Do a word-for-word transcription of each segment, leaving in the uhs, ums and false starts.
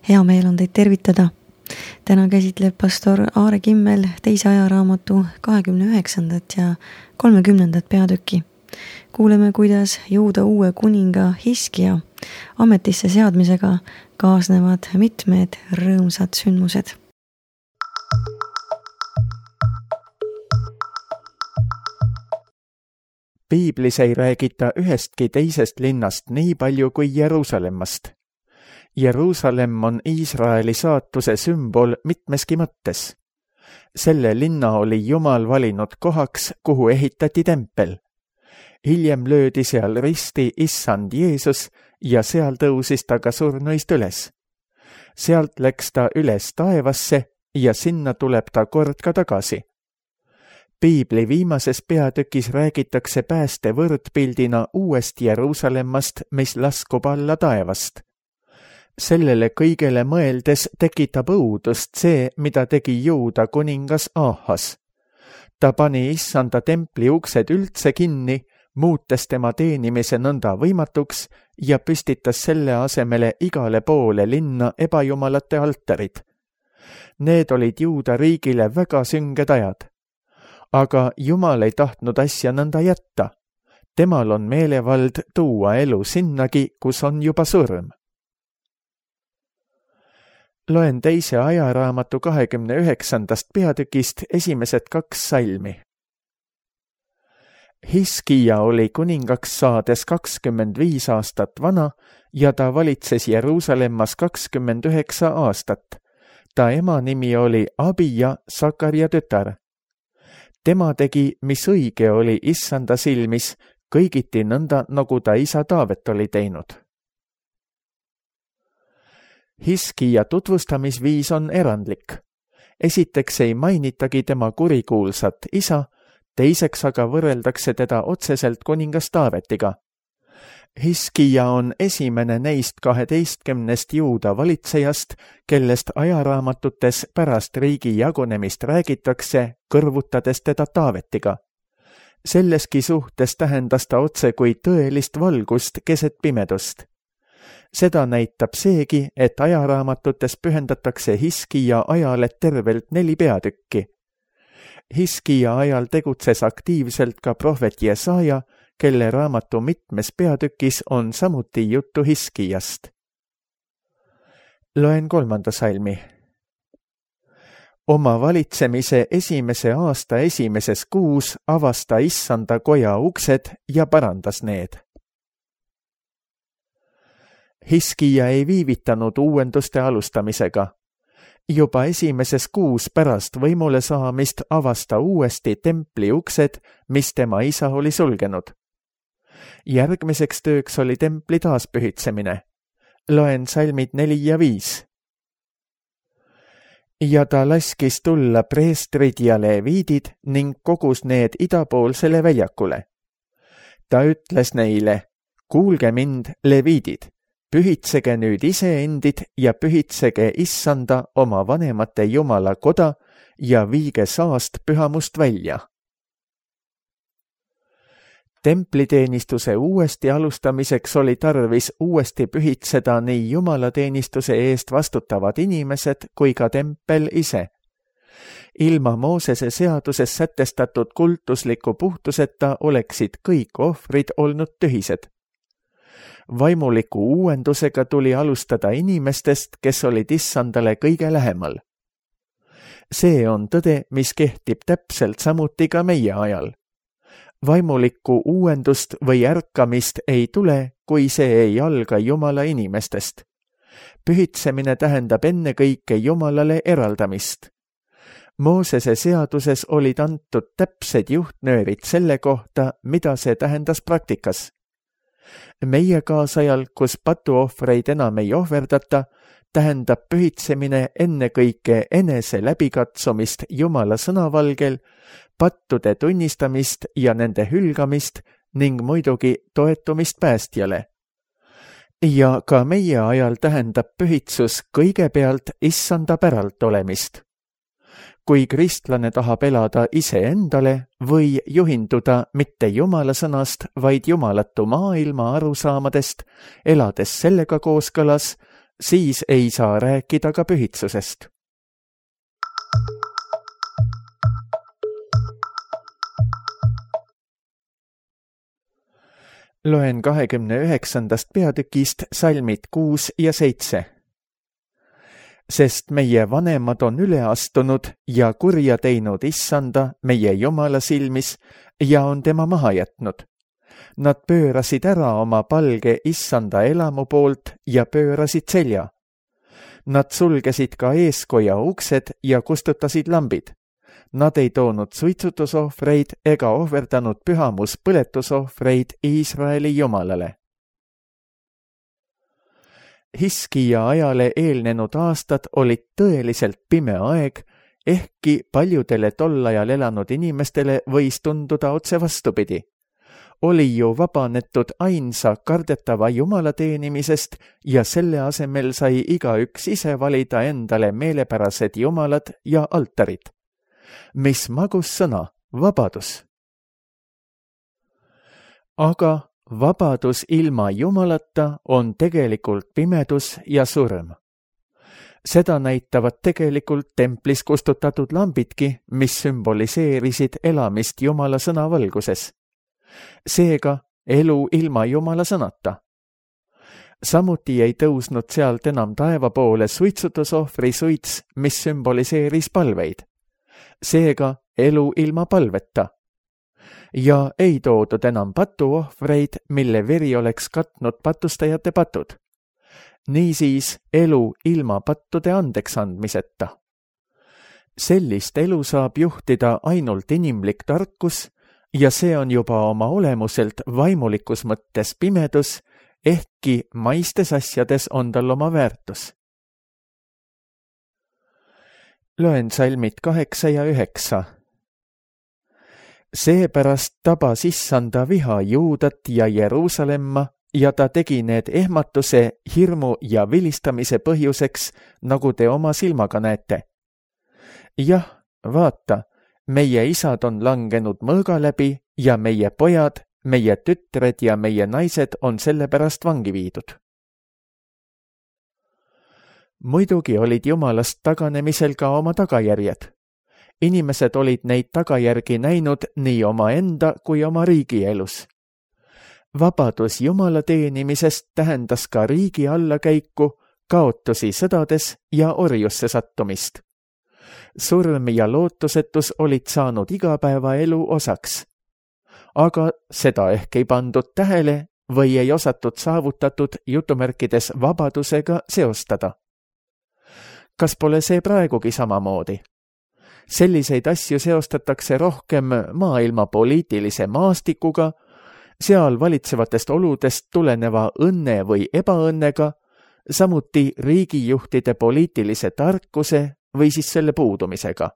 hea meel on teid tervitada. Täna käsitleb pastor Aare Kimmel teise ajaraamatu kahekümne üheksandat ja kolmekümnendat peatükki. Kuuleme, kuidas Juuda uue kuninga Hiskia ametisse seadmisega kaasnevad mitmed rõõmsad sündmused. Piiblis ei räägita ühestki teisest linnast nii palju kui Jeruusalemmast. Jeruusalemm on Iisraeli saatuse sümbol mitmeski mõttes. Selle linna oli Jumal valinud kohaks, kuhu ehitati tempel. Hiljem löödi seal risti issand Jeesus ja seal tõusis ta ka surnuist üles. Sealt läks ta üles taevasse ja sinna tuleb ta kord ka tagasi. Piibli viimases peatükis räägitakse pääste võrdpildina uuest Jeruusalemmast, mis laskub alla taevast. Sellele kõigele mõeldes tekitab õudust see, mida tegi Juuda kuningas Ahas. Ta pani issanda templi uksed üldse kinni, muutes tema teenimise nõnda võimatuks ja püstitas selle asemele igale poole linna ebajumalate altarid. Need olid Juuda riigile väga sünged ajad. Aga Jumal ei tahtnud asja nõnda jätta. Temal on meelevald tuua elu sinnagi, kus on juba surm. Loen teise ajaraamatu kahekümne üheksandast peatükist esimesed kaks salmi. Hiskia oli kuningaks saades kakskümmend viis aastat vana ja ta valitses Jeruusalemmas kakskümmend üheksa aastat. Ta ema nimi oli Abija, Sakarja tütar. Tema tegi, mis õige oli issanda silmis, kõigiti nõnda, nagu ta isa Taavet oli teinud. Hiskia tutvustamisviis on erandlik. Esiteks ei mainitagi tema kurikuulsat isa, teiseks aga võrreldakse teda otseselt kuningas Taavetiga. Hiskia on esimene neist kaheteistkümnest Juuda valitsejast, kellest ajaraamatutes pärast riigi jagunemist räägitakse, kõrvutades teda Taavetiga. Selleski suhtes tähendas ta otse kui tõelist valgust keset pimedust. Seda näitab seegi, et ajaraamatutes pühendatakse Hiskia ajale tervelt neli peatükki. Hiskia ajal tegutses aktiivselt ka prohvet Jesaja, kelle raamatu mitmes peatükis on samuti juttu Hiskiast. Loen kolmanda salmi. Oma valitsemise esimese aasta esimeses kuus avas ta issanda koja uksed ja parandas need. Hiskia ei viivitanud uuenduste alustamisega. Juba esimeses kuus pärast võimule saamist avas ta uuesti templi uksed, mis tema isa oli sulgenud. Järgmiseks tööks oli templi taaspühitsemine. Loen salmid neli ja viis. Ja ta laskis tulla preestrid ja leviidid ning kogus need idapoolsele väljakule. Ta ütles neile, kuulge mind, leviidid, pühitsege nüüd iseendid ja pühitsege issanda oma vanemate Jumala koda ja viige saast pühamust välja. Templiteenistuse uuesti alustamiseks oli tarvis uuesti pühitseda nii jumalateenistuse eest vastutavad inimesed kui ka tempel ise. Ilma Moosese seaduses sätestatud kultusliku puhtuseta oleksid kõik ohvrid olnud tühised. Vaimuliku uuendusega tuli alustada inimestest, kes olid issandale kõige lähemal. See on tõde, mis kehtib täpselt samuti ka meie ajal. Vaimulikku uuendust või ärkamist ei tule, kui see ei alga Jumala inimestest. Pühitsemine tähendab ennekõike Jumalale eraldamist. Moosese seaduses olid antud täpsed juhtnöörid selle kohta, mida see tähendas praktikas. Meie kaasajal, kus patuohvreid enam ei ohverdata, tähendab pühitsemine ennekõike enese läbikatsumist Jumala sõnavalgel, pattude tunnistamist ja nende hülgamist ning muidugi toetumist päästjale. Ja ka meie ajal tähendab pühitsus kõigepealt issanda päralt olemist. Kui kristlane tahab elada iseendale või juhinduda mitte Jumala sõnast, vaid jumalatu maailma arusaamadest, elades sellega kooskõlas, siis ei saa rääkida ka pühitsusest. Loen kahekümne üheksandast peatükist salmid kuus ja seitse. Sest meie vanemad on üle astunud ja kurja teinud issanda meie Jumala silmis ja on tema maha jätnud. Nad pöörasid ära oma palge issanda elamu poolt ja pöörasid selja. Nad sulgesid ka eeskoja uksed ja kustutasid lambid. Nad ei toonud suitsutusohvreid ega ohverdanud pühamus põletusohvreid Iisraeli Jumalale. Hiskija ajale eelnenud aastad olid tõeliselt pime aeg, ehkki paljudele tol ajal elanud inimestele võis tunduda otse vastupidi. Oli ju vabanetud ainsa kardetava Jumala teenimisest ja selle asemel sai igaüks ise valida endale meelepärased jumalad ja altarid. Mis magus sõna, vabadus. Aga vabadus ilma Jumalata on tegelikult pimedus ja surm. Seda näitavad tegelikult templis kustutatud lambidki, mis sümboliseerisid elamist Jumala sõna valguses. Seega elu ilma Jumala sõnata. Samuti ei tõusnud sealt enam taeva poole suitsutusohvri suits, mis sümboliseeris palveid. Seega elu ilma palveta. Ja ei toodud enam patuohvreid, mille veri oleks katnud patustajate patud. Niisiis elu ilma pattude andeks andmiseta. Sellist elu saab juhtida ainult inimlik tarkus ja see on juba oma olemuselt vaimulikus mõttes pimedus, ehkki maistes asjades on tal oma väärtus. Loen salmid kaheksa ja üheksa. Seepärast tabas issanda viha Juudat ja Jeruusalemma ja ta tegi need ehmatuse, hirmu ja vilistamise põhjuseks, nagu te oma silmaga näete. Jah, vaata, meie isad on langenud mõõga läbi ja meie pojad, meie tütred ja meie naised on selle pärast vangi viidud. Muidugi olid Jumalast taganemisel ka oma tagajärjed. Inimesed olid neid tagajärgi näinud nii oma enda kui oma riigi elus. Vabadus Jumala teenimisest tähendas ka riigi allakäiku, kaotusi sõdades ja orjusse sattumist. Surm ja lootusetus olid saanud igapäevaelu osaks. Aga seda ehk ei pandud tähele või ei osatud saavutatud jutumärkides vabadusega seostada. Kas pole see praegugi samamoodi? Selliseid asju seostatakse rohkem maailma poliitilise maastikuga, seal valitsevatest oludest tuleneva õnne või ebaõnnega, samuti riigijuhtide poliitilise tarkuse või siis selle puudumisega.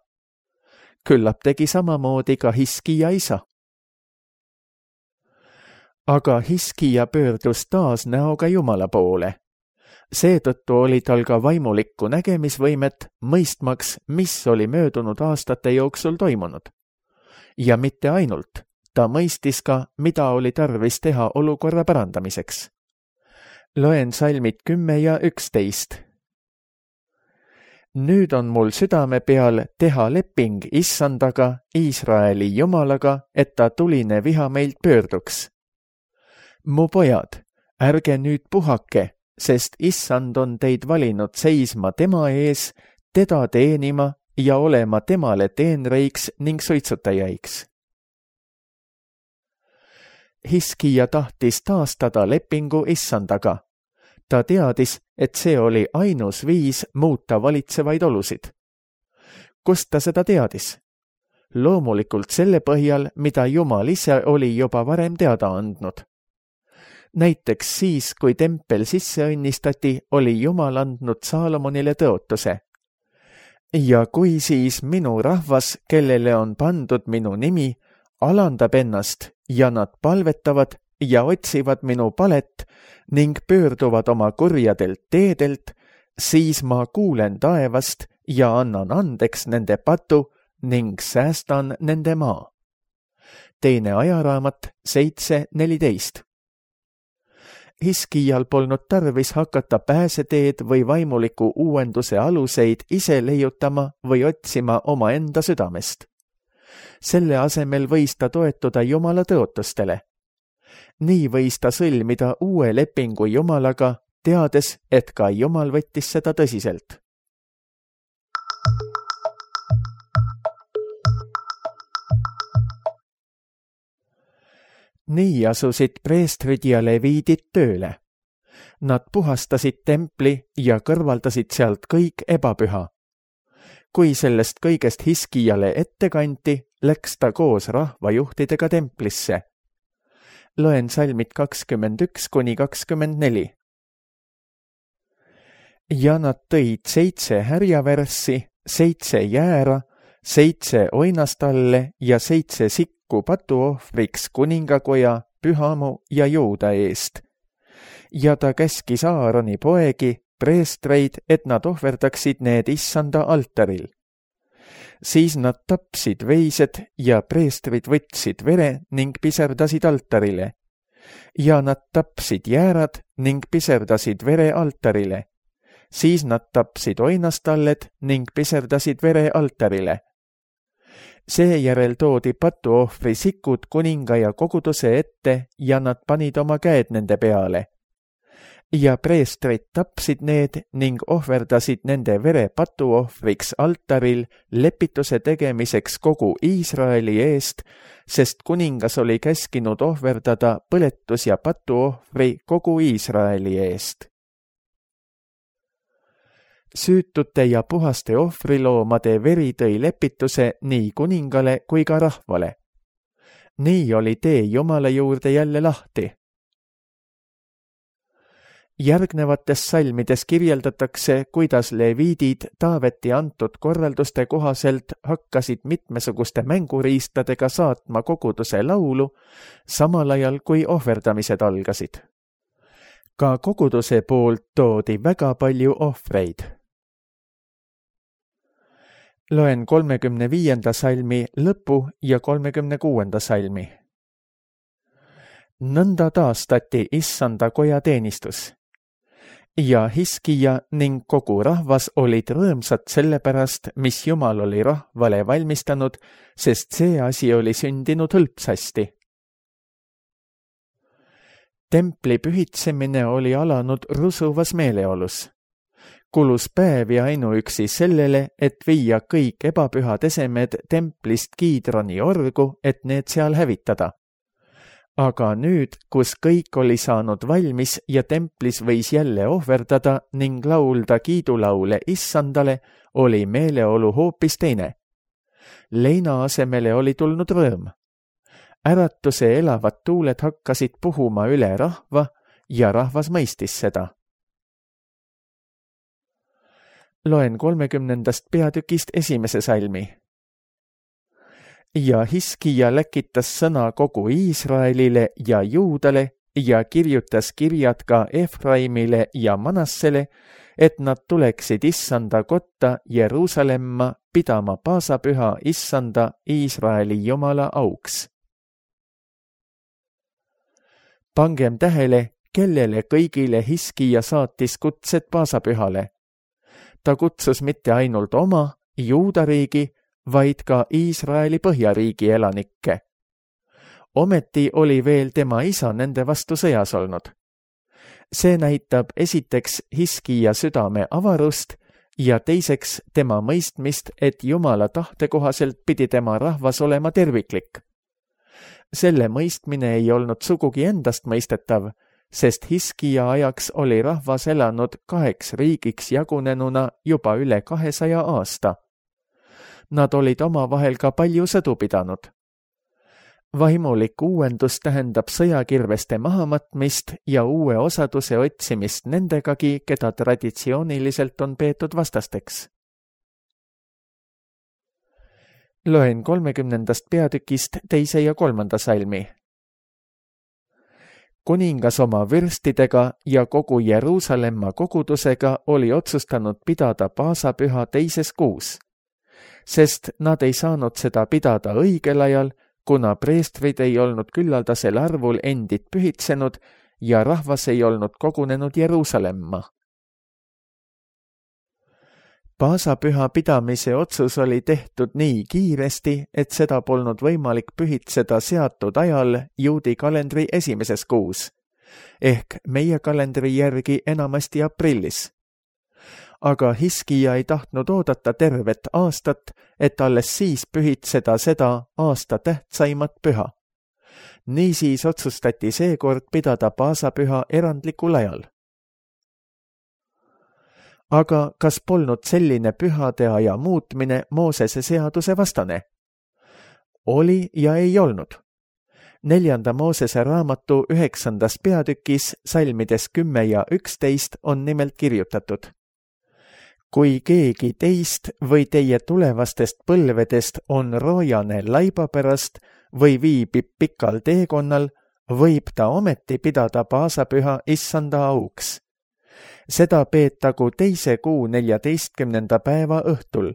Küllap tegi samamoodi ka Hiskija isa. Aga Hiskija pöördus taas näoga Jumala poole. Seetõttu oli tal ka vaimulikku nägemisvõimet, mõistmaks, mis oli möödunud aastate jooksul toimunud. Ja mitte ainult, ta mõistis ka, mida oli tarvis teha olukorra parandamiseks. Loen salmid kümme ja üksteist. Nüüd on mul südame peal teha leping issandaga, Iisraeli Jumalaga, et ta tuline viha meilt pöörduks. Mu pojad, ärge nüüd puhake, sest issand on teid valinud seisma tema ees, teda teenima ja olema temale teenreiks ning suitsutajaiks. Hiskija tahtis taastada lepingu issandaga. Ta teadis, et see oli ainus viis muuta valitsevaid olusid. Kust ta seda teadis? Loomulikult selle põhjal, mida Jumal ise oli juba varem teada andnud. Näiteks siis, kui tempel sisse õnnistati, oli Jumal andnud Saalomonile tõotuse. Ja kui siis minu rahvas, kellele on pandud minu nimi, alandab ennast ja nad palvetavad ja otsivad minu palet ning pöörduvad oma kurjadelt teedelt, siis ma kuulen taevast ja annan andeks nende patu ning säästan nende maa. Teine ajaraamat seitse neliteist. Hiskijal polnud tarvis hakata pääseteed või vaimuliku uuenduse aluseid ise leiutama või otsima oma enda südamest. Selle asemel võis ta toetuda Jumala tõotustele. Nii võis ta sõlmida uue lepingu Jumalaga, teades, et ka Jumal võttis seda tõsiselt. Nii asusid preestrid ja leviidid tööle. Nad puhastasid templi ja kõrvaldasid sealt kõik ebapüha. Kui sellest kõigest Hiskijale ette kanti, läks ta koos rahvajuhtidega templisse. Loen salmid kakskümmend üks kuni kakskümmend neli. Ja nad tõid seitse härjavärssi, seitse jäära, seitse oinastalle ja seitse sikku patuohvriks kuningakoja, Pühamu ja Juuda eest. Ja ta käskis Aaroni poegi, preestreid, et nad ohverdaksid need issanda altaril. Siis nad tapsid veised ja preestrid võtsid vere ning piserdasid altarile. Ja nad tapsid jäärad ning piserdasid vere altarile. Siis nad tapsid oinastalled ning piserdasid vere altarile. Seejärel toodi patuohvri sikud kuninga ja koguduse ette ja nad panid oma käed nende peale. Ja preestrid tapsid need ning ohverdasid nende vere patuohvriks altaril lepituse tegemiseks kogu Iisraeli eest, sest kuningas oli käskinud ohverdada põletus- ja patuohvri kogu Iisraeli eest. Süütute ja puhaste ohvriloomade veri tõi lepituse nii kuningale kui ka rahvale. Nii oli tee Jumala juurde jälle lahti. Järgnevates salmides kirjeldatakse, kuidas leviidid Taaveti antud korralduste kohaselt hakkasid mitmesuguste mänguriistadega saatma koguduse laulu, samal ajal kui ohverdamised algasid. Ka koguduse poolt toodi väga palju ohvreid. Loen kolmekümne viienda salmi lõpu ja kolmekümne kuuenda salmi. Nõnda taastati issanda koja teenistus. Ja Hiskija ning kogu rahvas olid rõõmsad selle pärast, mis Jumal oli rahvale valmistanud, sest see asi oli sündinud hõlpsasti. Templi pühitsemine oli alanud rusuvas meeleolus. Kulus päevi ainuüksi sellele, et viia kõik ebapühad esemed templist Kiidroni orgu, et need seal hävitada. Aga nüüd, kus kõik oli saanud valmis ja templis võis jälle ohverdada ning laulda kiidulaule issandale, oli meeleolu hoopis teine. Leina asemele oli tulnud rõõm. Äratuse elavad tuuled hakkasid puhuma üle rahva ja rahvas mõistis seda. Loen kolmekümnendast peatükist esimese salmi. Ja Hiskija läkitas sõna kogu Iisraelile ja Juudale ja kirjutas kirjad ka Efraimile ja Manassele, et nad tuleksid issanda kotta Jeruusalemma pidama paasapüha issanda Iisraeli Jumala auks. Pangem tähele, kellele kõigile Hiskija saatis kutsed paasapühale. Ta kutsus mitte ainult oma Juuda riigi, vaid ka Iisraeli põhjariigi elanikke. Ometi oli veel tema isa nende vastu sõjas olnud. See näitab esiteks Hiskija südame avarust ja teiseks tema mõistmist, et Jumala tahte kohaselt pidi tema rahvas olema terviklik. Selle mõistmine ei olnud sugugi endast mõistetav, sest Hiskija ajaks oli rahvas elanud kaheks riigiks jagunenuna juba üle kahesaja aasta. Nad olid omavahel ka palju sõdu pidanud. Vaimulik uuendus tähendab sõjakirveste mahamatmist ja uue osaduse otsimist nendegagi, keda traditsiooniliselt on peetud vastasteks. Loen kolmekümnendast peatükist teise ja kolmanda salmi. Kuningas oma vürstidega ja kogu Jeruusalemma kogudusega oli otsustanud pidada paasapüha teises kuus, sest nad ei saanud seda pidada õigel ajal, kuna preestrid ei olnud küllaldasel arvul endid pühitsenud ja rahvas ei olnud kogunenud Jeruusalemma. Paasapüha pidamise otsus oli tehtud nii kiiresti, et seda polnud võimalik pühitseda seatud ajal juudi kalendri esimeses kuus, ehk meie kalendri järgi enamasti aprillis. Aga Hiskija ei tahtnud oodata tervet aastat, et alles siis pühitseda seda aasta tähtsaimat püha. Niisiis otsustati seekord pidada paasapüha erandlikul ajal. Aga kas polnud selline pühade aja muutmine Moosese seaduse vastane? Oli ja ei olnud. Neljanda Moosese raamatu üheksandas peatükis salmides kümme ja üksteist on nimelt kirjutatud. Kui keegi teist või teie tulevastest põlvedest on roojane laiba pärast või viibib pikal teekonnal, võib ta ometi pidada paasapüha issanda auks. Seda peetagu teise kuu neljateistkümnenda päeva õhtul.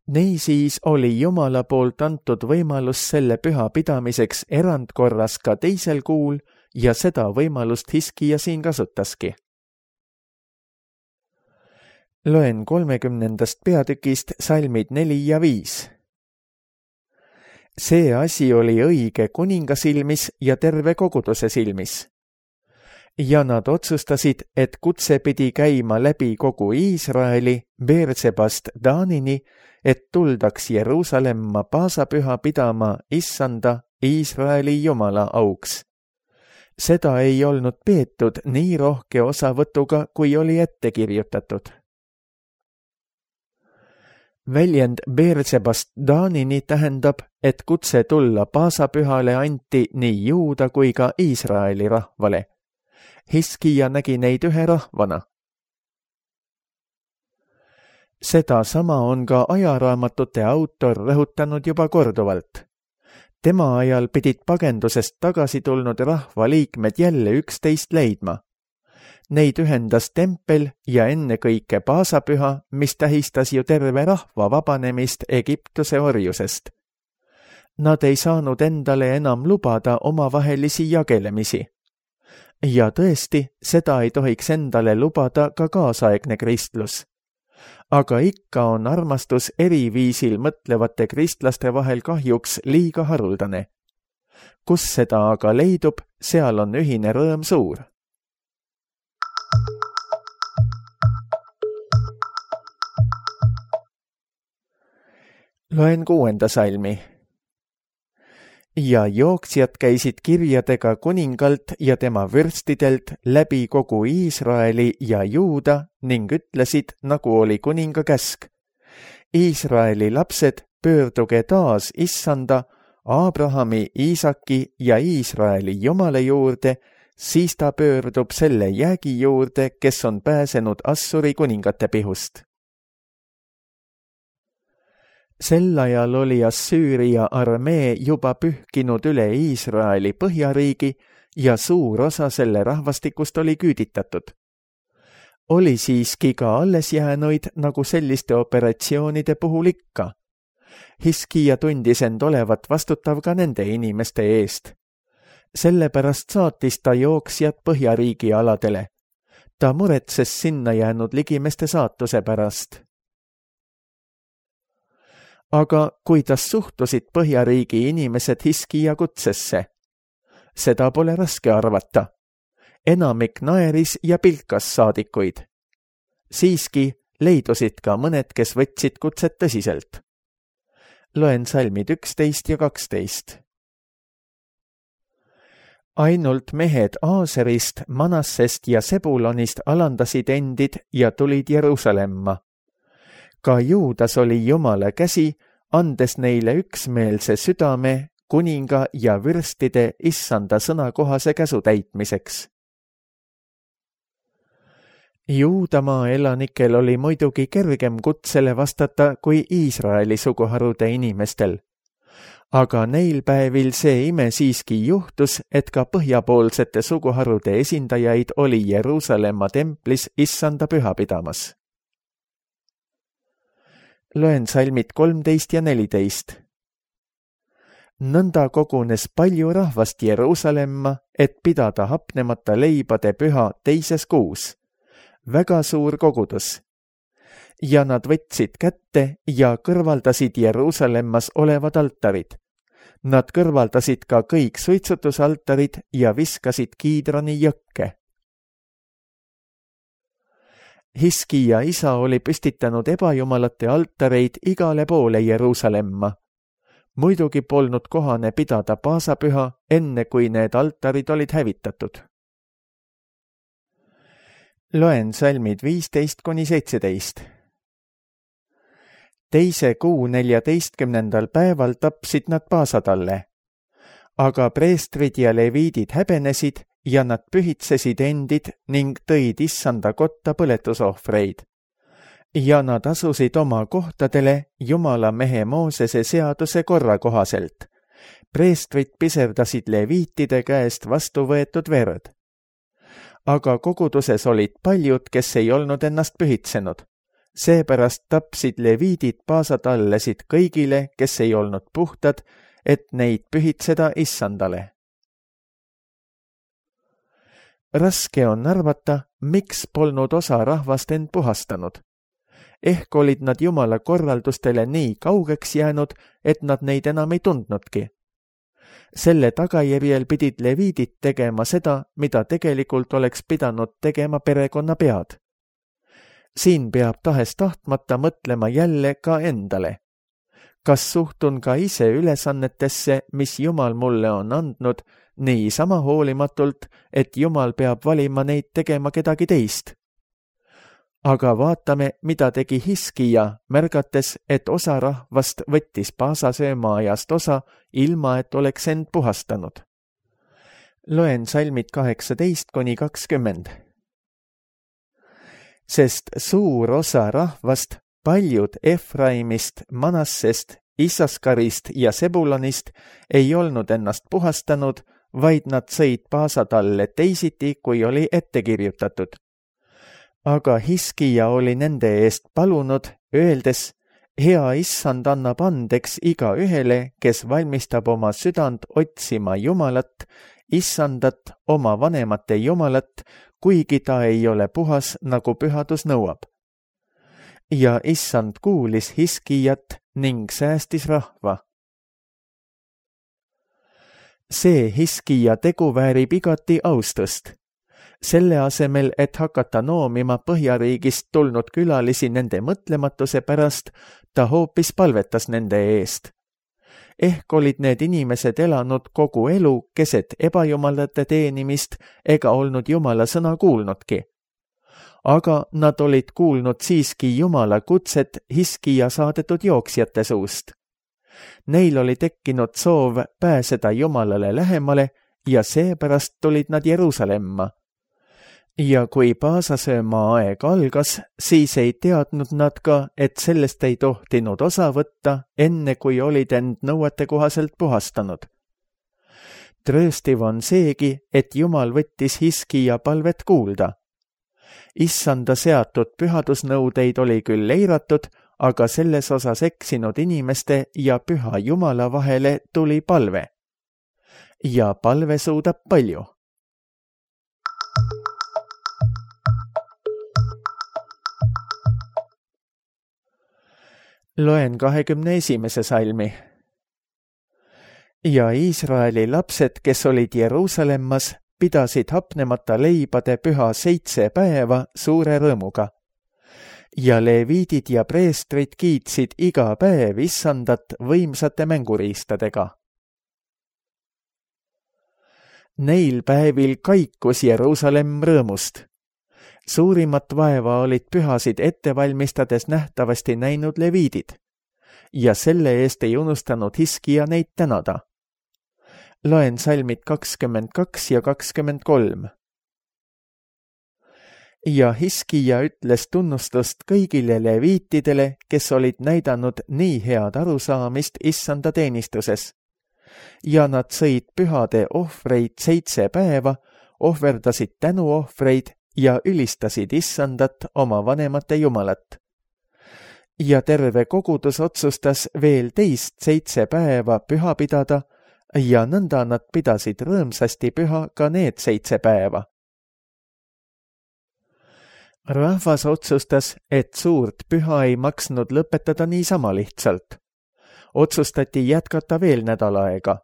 Niisiis oli Jumala poolt antud võimalus selle püha pidamiseks erandkorras ka teisel kuul ja seda võimalust Hiskija siin kasutaski. Loen kolmekümnendast peatükist salmid neli ja viis. See asi oli õige kuninga silmis ja terve koguduse silmis. Ja nad otsustasid, et kutse pidi käima läbi kogu Iisraeli, Beersebast Daanini, et tuldaks Jeruusalemma paasapüha pidama issanda Iisraeli Jumala auks. Seda ei olnud peetud nii rohke osavõtuga, kui oli ette kirjutatud. Väljend Beersebast Daanini tähendab, et kutse tulla paasapühale anti nii Juuda kui ka Iisraeli rahvale. Hiskija nägi neid ühe rahvana. Seda sama on ka ajaraamatute autor rõhutanud juba korduvalt. Tema ajal pidid pagendusest tagasi tulnud rahvaliikmed jälle üksteist leidma. Neid ühendas tempel ja ennekõike paasapüha, mis tähistas ju terve rahva vabanemist Egiptuse orjusest. Nad ei saanud endale enam lubada omavahelisi jagelemisi. Ja tõesti, seda ei tohiks endale lubada ka kaasaegne kristlus. Aga ikka on armastus eriviisil mõtlevate kristlaste vahel kahjuks liiga haruldane. Kus seda aga leidub, seal on ühine rõõm suur. Loen kuuenda salmi. Ja jooksjad käisid kirjadega kuningalt ja tema vürstidelt läbi kogu Iisraeli ja Juuda ning ütlesid, nagu oli kuninga käsk. Iisraeli lapsed, pöörduge taas issanda, Abrahami, Iisaki ja Iisraeli Jumala juurde, siis ta pöördub selle jäägi juurde, kes on pääsenud Assuri kuningate pihust. Sel ajal oli Assüüria armee juba pühkinud üle Iisraeli põhjariigi ja suur osa selle rahvastikust oli küüditatud. Oli siiski ka alles jäänuid nagu selliste operatsioonide puhul ikka. Hiskija tundis end olevat vastutav ka nende inimeste eest. Sellepärast saatis ta jooksjad põhjariigi aladele. Ta muretses sinna jäänud ligimeste saatuse pärast. Aga kuidas suhtusid põhjariigi inimesed Hiskija kutsesse? Seda pole raske arvata. Enamik naeris ja pilkas saadikuid. Siiski leidusid ka mõned, kes võtsid kutset tõsiselt. Loen salmid üksteist ja kaksteist. Ainult mehed Aaserist, Manassest ja Sebulonist alandasid endid ja tulid Jeruusalemma. Ka Juudas oli Jumala käsi, andes neile üksmeelse südame kuninga ja vürstide issanda sõnakohase käsu täitmiseks. Juudamaa elanikel oli muidugi kergem kutsele vastata kui Iisraeli suguharude inimestel. Aga neil päevil see ime siiski juhtus, et ka põhjapoolsete suguharude esindajaid oli Jeruusalemma templis issanda püha pidamas. Loen salmid kolmteist ja neliteist. Nõnda kogunes palju rahvast Jeruusalemma, et pidada hapnemata leibade püha teises kuus. Väga suur kogudus. Ja nad võtsid kätte ja kõrvaldasid Jeruusalemmas olevad altarid. Nad kõrvaldasid ka kõik suitsutusaltarid ja viskasid Kiidroni jõkke. Hiskija isa oli püstitanud ebajumalate altareid igale poole Jeruusalemma. Muidugi polnud kohane pidada paasapüha, enne kui need altarid olid hävitatud. Loen salmid viisteist kuni seitseteist. Teise kuu neljateistkümnendal päeval tapsid nad paasatalle. Aga preestrid ja leviidid häbenesid ja nad pühitsesid endid ning tõid issanda kotta põletusohvreid. Ja nad asusid oma kohtadele Jumala mehe Moosese seaduse korra kohaselt. Preestrid piserdasid leviitide käest vastu võetud verd. Aga koguduses olid paljud, kes ei olnud ennast pühitsenud. Seepärast tapsid leviidid paasatallesid kõigile, kes ei olnud puhtad, et neid pühitseda issandale. Raske on arvata, miks polnud osa rahvast end puhastanud. Ehk olid nad Jumala korraldustele nii kaugeks jäänud, et nad neid enam ei tundnudki. Selle tagajärjel pidid leviidid tegema seda, mida tegelikult oleks pidanud tegema perekonna pead. Siin peab tahes tahtmata mõtlema jälle ka endale. Kas suhtun ka ise ülesannetesse, mis Jumal mulle on andnud, nii sama hoolimatult, et Jumal peab valima neid tegema kedagi teist? Aga vaatame, mida tegi Hiskija, märgates, et osa rahvast võttis paasasööma ajast osa, ilma et oleks end puhastanud. Loen salmid kaheksateist kuni kakskümmend. Sest suur osa rahvast, paljud Efraimist, Manassest, Issaskarist ja Sebulonist ei olnud ennast puhastanud, vaid nad sõid paasatalle teisiti, kui oli ette kirjutatud. Aga Hiskija oli nende eest palunud, öeldes, hea issand annab andeks iga ühele, kes valmistab oma südant otsima Jumalat, issandat, oma vanemate Jumalat, kuigi ta ei ole puhas, nagu pühadus nõuab. Ja issand kuulis Hiskijat ning säästis rahva. See Hiskija tegu väärib igati austust. Selle asemel, et hakata noomima Põhjariigist tulnud külalisi nende mõtlematuse pärast, ta hoopis palvetas nende eest. Ehk olid need inimesed elanud kogu elu keset ebajumalate teenimist ega olnud Jumala sõna kuulnudki. Aga nad olid kuulnud siiski Jumala kutset Hiskija saadetud jooksjate suust. Neil oli tekkinud soov pääseda Jumalale lähemale ja seepärast tulid nad Jeruusalemma. Ja kui paasasööma aeg algas, siis ei teadnud nad ka, et sellest ei tohtinud osa võtta, enne kui olid end nõuete kohaselt puhastanud. Trööstiv on seegi, et Jumal võttis Hiskija palvet kuulda. Issanda seatud pühadusnõudeid oli küll eiratud, aga selles osas eksinud inimeste ja püha Jumala vahele tuli palve. Ja palve suudab palju. Loen kahekümne esimese salmi. Ja Iisraeli lapsed, kes olid Jeruusalemmas, pidasid hapnemata leibade püha seitse päeva suure rõõmuga. Ja leviidid ja preestrid kiitsid iga päev issandat võimsate mänguriistadega. Neil päevil kaikus Jeruusalem rõõmust. Suurimat vaeva olid pühasid ette valmistades nähtavasti näinud leviidid, ja selle eest ei unustanud Hiskija neid tänada. Loen salmid kakskümmend kaks ja kakskümmend kolm. Ja Hiskija ütles tunnustust kõigile leviitidele, kes olid näidanud nii head arusaamist issanda teenistuses. Ja nad sõid pühade ohvreid seitse päeva, ohverdasid tänuohvreid ja ülistasid issandat oma vanemate Jumalat. ja terve kogudus otsustas veel teist seitse päeva püha pidada ja nõnda nad pidasid rõõmsasti püha ka need seitse päeva. Rahvas otsustas, et suurt püha ei maksnud lõpetada niisama lihtsalt. Otsustati jätkata veel nädal aega.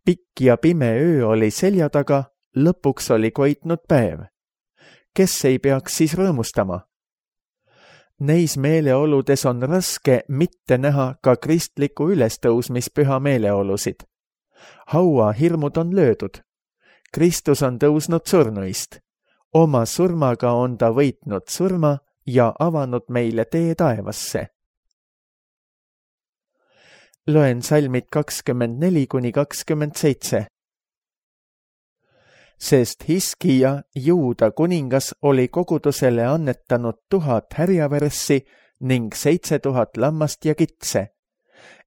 Pikk ja pime öö oli selja taga, lõpuks oli koitnud päev. Kes ei peaks siis rõõmustama? Neis meeleoludes on raske mitte näha ka kristliku ülestõusmispüha meeleolusid. Haua hirmud on löödud. Kristus on tõusnud surnuist. Oma surmaga on ta võitnud surma ja avanud meile tee taevasse. Loen salmid kakskümmend neli kuni kakskümmend seitse. Sest Hiskija, Juuda kuningas, oli kogudusele annetanud tuhat härjaverssi ning seitse tuhat lammast ja kitse.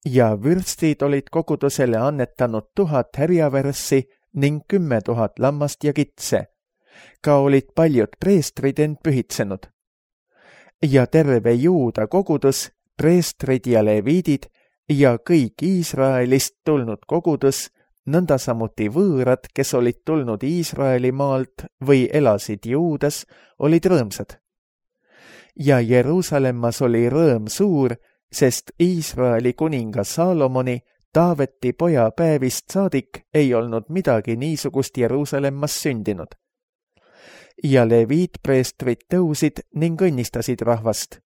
Ja vürstid olid kogudusele annetanud tuhat härjaverssi ning kümme tuhat lammast ja kitse. Ka olid paljud preestrid end pühitsenud. Ja terve Juuda kogudus, preestrid ja leviidid ja kõik Iisraelist tulnud kogudus, nõnda samuti võõrad, kes olid tulnud Iisraeli maalt või elasid Juudas, olid rõõmsad. Ja Jeruusalemmas oli rõõm suur, sest Iisraeli kuninga Saalomoni, Taaveti poja päevist saadik, ei olnud midagi niisugust Jeruusalemmas sündinud. Ja leviitpreestrid tõusid ning õnnistasid rahvast.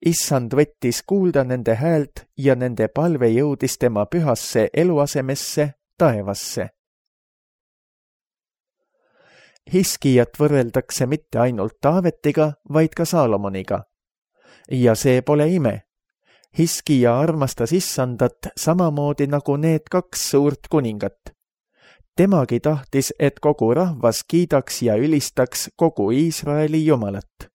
Issand võttis kuulda nende häält ja nende palve jõudis tema pühasse eluasemesse, taevasse. Hiskijat võrreldakse mitte ainult Taavetiga, vaid ka Saalomoniga. Ja see pole ime. Hiskija armastas Issandat samamoodi nagu need kaks suurt kuningat. Temagi tahtis, et kogu rahvas kiidaks ja ülistaks kogu Iisraeli Jumalat.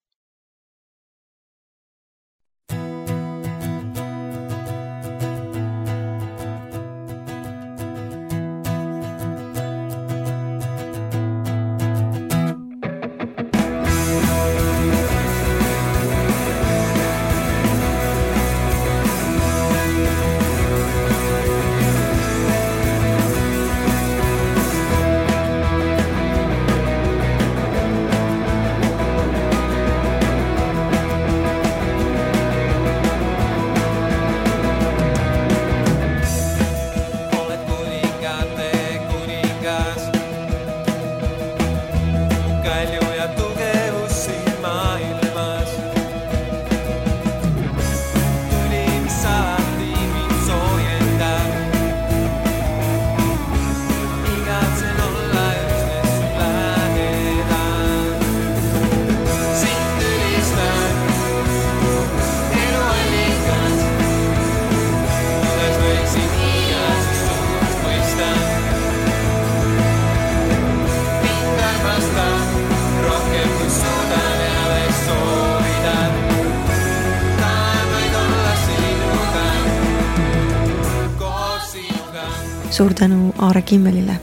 Suur tänu Aare Kimmelile.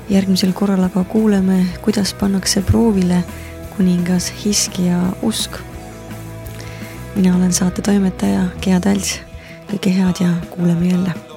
Järgmisel korral aga kuuleme, kuidas pannakse proovile kuningas Hiskija usk. Mina olen saate toimetaja Gea Talts. Kõike head ja kuuleme jälle.